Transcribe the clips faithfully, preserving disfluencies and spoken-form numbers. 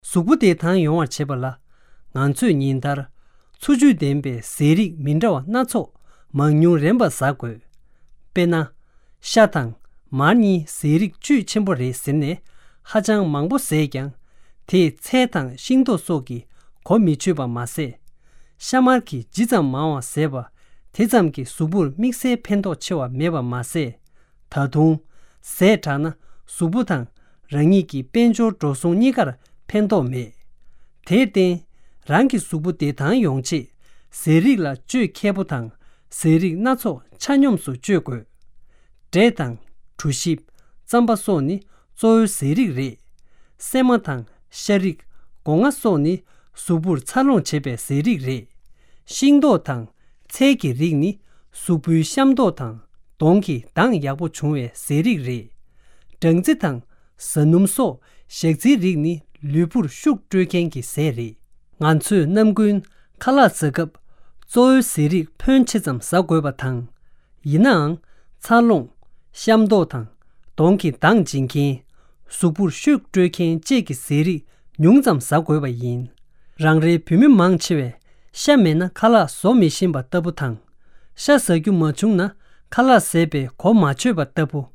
གཟུགས་པོ་བདེ་ཐང་ཡོང་བར་བྱེད་པ་ལ། ང་ཚོས་ཉིན་ལྟར་འཚོ་བཅུད་ལྡན་པའི་ཟས་རིགས་མི་འདྲ་བ་སྣ་ཚོགས་མང་ཉུང་རན་པ་ཟ་དགོས། དཔེར་ན། ཤ་དང་མར་གཉིས་ཟས་རིགས་བཅུད་ཆེན་པོ་རེད་ཟེར་ནས་ཧ་ཅང་མང་པོ་ཟས་ཀྱང་། དེས་ཚལ་དང་ཤིང་ཏོག་སོགས་ཀྱི་གོ་མི་ཆོད་པ་མ་ཟད། ཤ་མར་གྱིས་ཇི་ཙམ་མང་བ་ཟས་པ། དེ་ཙམ་གྱིས་གཟུགས་པོར་དམིགས་བསལ་ཕན་ཐོགས་ཆེ་བ་མེད་པ་མ་ཟད། ད་དུང་། ཟས་དྲག་ན་གཟུགས་པོ་དང་རང་ཉིད་ཀྱི་དཔལ་འབྱོར་འགྲོ་སོང་གཉིས་ཀར་ཕན་ཐོགས་མེད། དེར་བརྟེན། རང་གི་གཟུགས་པོ་བདེ་ཐང་ཡོང་ཆེད། ཟས་རིགས་ལ་བཅོས་མཁས་པོ་དང་། ཟས་རིགས་སྣ་ཚོགས་ཆ་སྙོམས་སུ་སྤྱོད་དགོས། འབྲས་དང་། གྲོ་ཞིབ། རྩམ་པ་སོགས་ནི་གཙོ་བོའི་ཟས་རིགས་རེད། སྲན་མ་དང་། ཤ་རིགས། སྒོ་ང་སོགས་ནི་གཟུགས་པོར་འཚར་ལོངས་བྱེད་པའི་ཟས་རིགས་རེད། ཤིང་ཏོག་དང་། ཚལ་གྱི་རིགས་ནི་གཟུགས་པོའི་བཤམས་མདོག་དང་གདོང་གི་མདངས་ཡག་པོ་འབྱུང་བའི་ཟས་རིགས་རེད། སྦྲང་རྩི་དང་། ཟ་སྣུམ་སོགས་ཞག་ཚིལ་རིགས་ནི་ལུས་པོར་ཤུགས་སྤྲོད་མཁན་གྱི་ཟས་རེད། ང་ཚོས་ནམ་རྒྱུན་ཁ་ལག་ཟ་སྐབས་གཙོ་བོའི་ཟས་རིགས་ཕོན་ཆེ་ཙམ་ཟ་དགོས་པ་དང་། ཡིན་ནའང་། འཚར་ལོངས། བཤམས་མདོག་དང་། གདོང་གི་མདངས་འབྱིན་མཁན། གཟུགས་པོར་ཤུགས་སྤྲོད་མཁན་བཅས་ཀྱི་ཟས་རིགས་ཉུང་ཙམ་ཟ་དགོས་པ་ཡིན། རང་རེའི་བོད་མི་མང་ཆེ་བས་ཤ་མེད་ན་ཁ་ལག་བཟོ་མི་ཤེས་པ་ལྟ་བུ་དང་། ཤ་ཟ་རྒྱུ་མ་བྱུང་ན་ཁ་ལག་ཟས་པའི་གོ་མ་ཆོད་པ་ལྟ་བུ།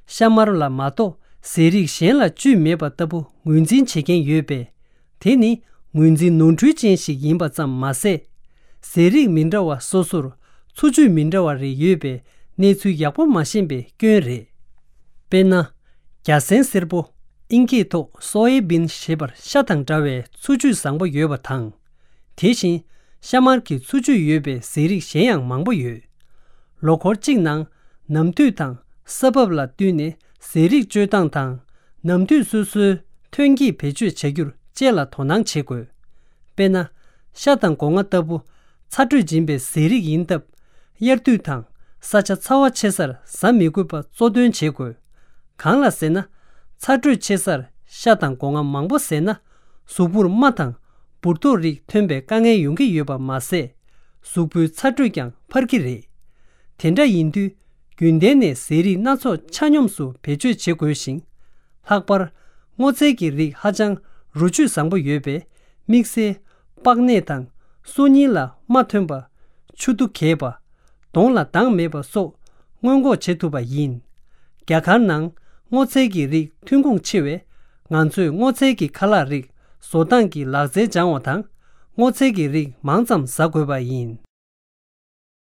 ཤ་མར་ལ་མ་གཏོགས་ཟས་རིགས་གཞན་ལ་བཅུད་མེད་པ་ལྟ་བུ་ངོས་འཛིན་བྱེད་མཁན་ཡོད་པས། དེ་ནི་ངོས་འཛིན་ནོར་འཁྲུལ་ཅན་ཞིག་ཡིན་པ་ཙམ་མ་ཟད། ཟས་རིགས་མི་འདྲ་བ་སོ་སོར་འཚོ་བཅུད་མི་འདྲ་བ་རེ་ཡོད་པའི་གནས་ཚུལ་ཡག་པོ་མ་ཤེས་པའི་སྐྱོན་རེད། དཔེར་ན། རྒྱ་སྲན་སེར་པོ། ཨིན་སྐད་ཐོག་སོ་ཡ་བིན་ཞེས་པར་ཤ་དང་འདྲ་བའི་འཚོ་བཅུད་བཟང་པོ་ཡོད་པ་དང་། དེ་བཞིན་ཤ་མར་གྱི་འཚོ་བཅུད་ཡོད་པའི་ཟས་རིགས་གཞན་ཡང་མང་པོ་ཡོད། ལོ་འཁོར་གཅིག་ནང་ནམ་དུས་དང་ས་བབ་ལ་བསྟུན་ནས་ཟས་རིགས་སྤྱོད་སྟངས་དང་། ནམ་དུས་སོ་སོའི་ཐོན་སྐྱེད་བེད་སྤྱོད་བྱ་རྒྱུར་བཅས་ལ་དོ་སྣང་བྱེད་དགོས། དཔེར་ན། ཤ་དང་སྒོ་ང་ལྟ་བུ་ཚ་དྲོད་འབྱིན་པའི་ཟས་རིགས་ཡིན་སྟབས། དབྱར་དུས་དང་ས་ཆ་ཚ་བ་ཆེ་སར་ཟ་མི་དགོས་པ་གཙོ་འདོན་བྱེད་དགོས། གང་ལ་ཟེར་ན། ཚ་དྲོད་ཆེ་སར་ཤ་དང་སྒོ་ང་མང་པོ་ཟས་ན། གཟུགས་པོར་རྨ་དང་། འབུར་ཏོག་རིགས་ཐོན་པའི་དཀའ་ངལ་ཡོང་གི་ཡོད་པ་མ་ཟད། གཟུགས་པོའི་ཚ་དྲོད་ཀྱང་འཕར་གྱི་རེད། དེ་འདྲ་ཡིན་དུས། རྒྱུན་གཏན་ནས་ཟས་རིགས་སྣ་ཚོགས་ཆ་སྙོམས་སུ་བེད་སྤྱོད་བྱེད་དགོས་ཤིང་། ལྷག་པར། སྔོ་ཚལ་གྱི་རིགས་ཧ་ཅང་རོ་བཅུད་བཟང་པོ་ཡོད་པས། དམིགས་བསལ། པགས་ནད་དང་། སོ་རྙིལ་ལ་རྨ་ཐོན་པ། ཆུ་དུ་གས་པ། གདོང་ལ་མདངས་མེད་པ་སོགས་སྔོན་འགོག་བྱེད་ཐུབ་པ་ཡིན། རྒྱ་གར་ནང་སྔོ་ཚལ་གྱི་རིགས་ཐོན་ཁུངས་ཆེ་བས། ང་ཚོས་སྔོ་ཚལ་གྱི་ཁ་ལག་རིགས་བཟོ་སྟངས་ཀྱི་ལག་རྩལ་སྦྱང་བ་དང་། སྔོ་ཚལ་གྱི་རིགས་མང་ཙམ་ཟ་དགོས་པ་ཡིན།